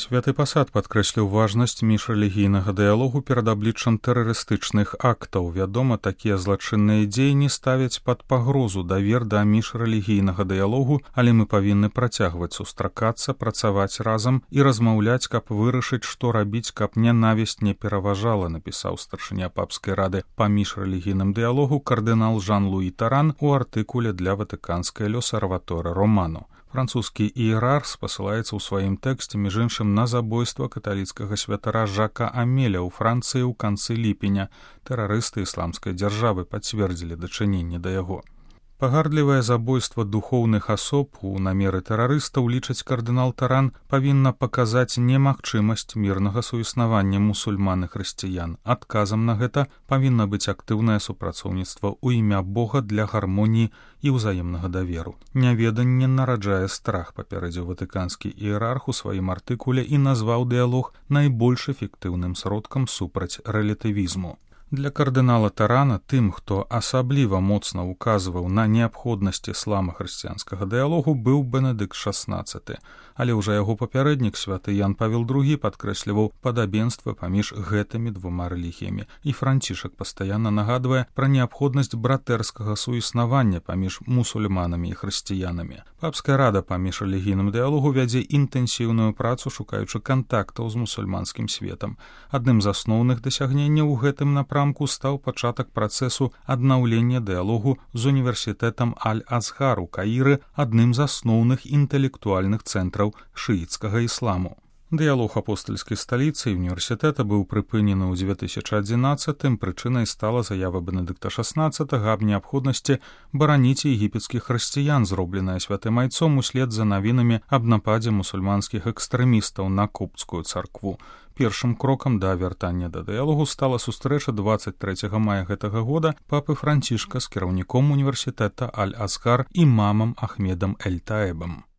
Святы пасад падкрэсліў важнасць міжрэлігійнага дыялогу перад абліччам тэрарыстычных актаў. Вядома, такія злачынныя дзеянні ставяць пад пагрозу давер да міжрэлігійнага дыялогу, але мы павінны працягваць сустракацца, працаваць разам і размаўляць, каб вырашыць, што рабіць, каб нянавісць не пераважала, напісаў старшыня папскай рады па міжрэлігійным дыялогу кардынал Жан-Луі Таран у артыкуле для ватыканскай L'Osservatore Romano. Французскі іерарх спасылаецца ў сваім тэксце, між іншым, на забойства каталіцкага святара Жака Амеля ў Францыі ў канцы ліпеня. Тэрарысты ісламскай дзяржавы пацвердзілі дачыненне да яго. Пагардлівае забойства духоўных асоб у намеры тэрарыстаў, лічыць кардынал Таран, павінна паказаць немагчымасць мірнага суіснавання мусульман і хрысціян. Адказам на гэта павінна быць актыўнае супрацоўніцтва ў імя Бога для гармоніі і ўзаемнага даверу. Няведанне нараджае страх, папярэдзіў ватыканскі іерарх у сваім артыкуле і назваў дыялог найбольш эфектыўным сродкам супраць рэлятывізму. Для кардынала Тарана, тым, хто асабліва моцна указваў на неабходнасць іслама-хрысціянскага дыялогу, быў Бенедыкт XVI, але ўжо яго папярэднік святы Ян Павел II падкрэсліваў падабенства паміж гэтымі двума рэлігіямі, і Францішак пастаянна нагадвае пра неабходнасць братэрскага суіснавання паміж мусульманамі і хрысціянамі. Папская рада па міжрэлігійным дыялогу вядзе інтэнсіўную працу, шукаючы кантактаў з мусульманскім светам. Адным з асноўных дасягненняў у гэтым напрамку стаў пачатак працэсу аднаўлення дыялогу з універсітэтам Аль-Азгар у Каіры, адным з асноўных інтэлектуальных цэнтраў шыіцкага ісламу. Дыялог апостальскай сталіцы і універсітэта быў прыпынены ў 2011-м, прычынай стала заява Бенедыкта XVI аб неабходнасці бараніць егіпецкіх хрысціян, зробленая святым айцом услед за навінамі аб нападзе мусульманскіх экстрэмістаў на копцкую царкву. Першым крокам да вяртання да дыялогу стала сустрэча 23 мая гэтага года папы Францішка з кіраўніком універсітэта Аль-Азгар імамам Ахмедам Эль-Таэбам.